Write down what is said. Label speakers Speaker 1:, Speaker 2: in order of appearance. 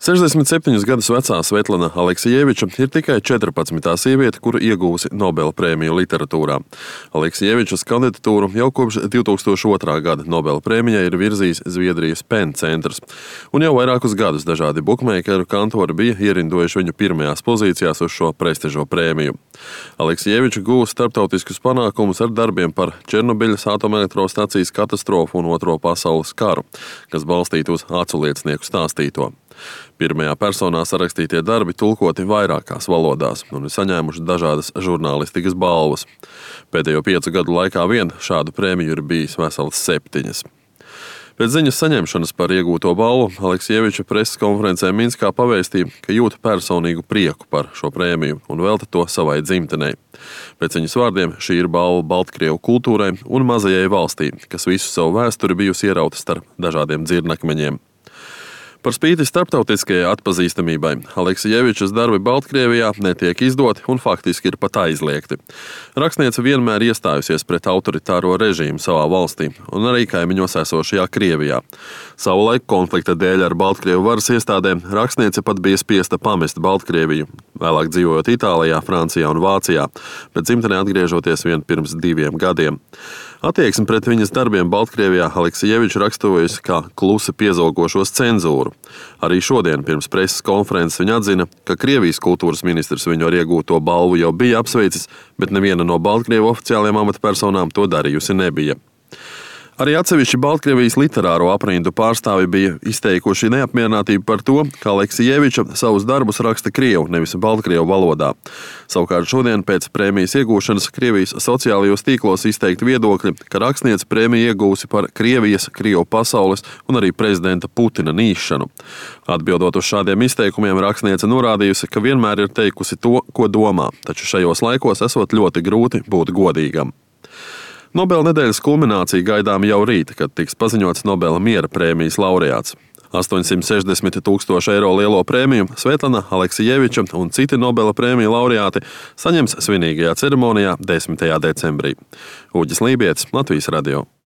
Speaker 1: 67 gadus vecā Svetlana Aleksijeviča ir tikai 14. sieviete, kura iegūsi Nobela prēmiju literatūrā. Aleksijevičas kandidatūru jau kopš 2002. gada Nobela prēmijai ir virzījis Zviedrijas PEN centrs, un jau vairākus gadus dažādi bukmeikeru kantori bija ierindojuši viņu pirmajās pozīcijās uz šo prestižo prēmiju. Aleksijeviča guva starptautiskus panākumus ar darbiem par Černobiļas atomelektrostacijas katastrofu un Otro pasaules karu, kas balstīti uz aculiecinieku stāstīto. Pirmajā personā sarakstītie darbi tulkoti vairākās valodās un ir saņēmuši dažādas žurnālistikas balvas. Pēdējo 5 gadu laikā vien šādu prēmiju ir bijis veselas 7. Pēc ziņas saņemšanas par iegūto balvu Aleksijeviča preses konferencē Minskā pavēstīja, ka jūt personīgu prieku par šo prēmiju un velta to savai dzimtenei. Pēc viņas vārdiem šī ir balva Baltkrievu kultūrai un mazajai valstī, kas visu savu vēsturi bijusi ierauta starp dažādiem dzirnakmeņiem. Par spīti starptautiskajai atpazīstamībai Aleksijevičas darbi Baltkrievijā netiek izdoti un faktiski ir pat aizliegti. Rakstniece vienmēr iestājusies pret autoritāro režīmu savā valstī un arī kaimiņos esošajā Krievijā. Savulaik konflikta dēļ ar Baltkrievu varas iestādēm rakstniece pat bija spiesta pamest Baltkrieviju, vēlāk dzīvojot Itālijā, Francijā un Vācijā, bet dzimtenē atgriežoties vien pirms 2 gadiem. Attieksmi pret viņas darbiem Baltkrievijā Aleksijeviča raksturojas kā klusi piezogošos cenzūru. Arī šodien pirms preses konferences viņa atzina, ka Krievijas kultūras ministrs viņu ar iegūto balvu jau bija apsveicis, bet neviena no Baltkrievu oficiālajām amatpersonām to darījusi nebija. Arī atsevišķi Baltkrievijas literāro aprindu pārstāvi bija izteikuši neapmierinātību par to, ka Aleksijeviča savus darbus raksta krievu, nevis baltkrievu valodā. Savukārt šodien pēc prēmijas iegūšanas Krievijas sociālajos tīklos izteikti viedokļi, ka rakstniece prēmiju iegūsi par Krievijas, Krievu pasaules un arī prezidenta Putina nīšanu. Atbildot uz šādiem izteikumiem, rakstniece norādījusi, ka vienmēr ir teikusi to, ko domā, taču šajos laikos esot ļoti grūti būt godīgam. Nobela nedēļas kulminācija gaidām jau rīt, kad tiks paziņots Nobela miera prēmijas laureāts. 860 000 eiro lielo prēmiju Svetlana Aleksijeviča un citi Nobela prēmiju laureāti saņems svinīgajā ceremonijā 10. decembrī. Uģis Lībietis, Latvijas radio.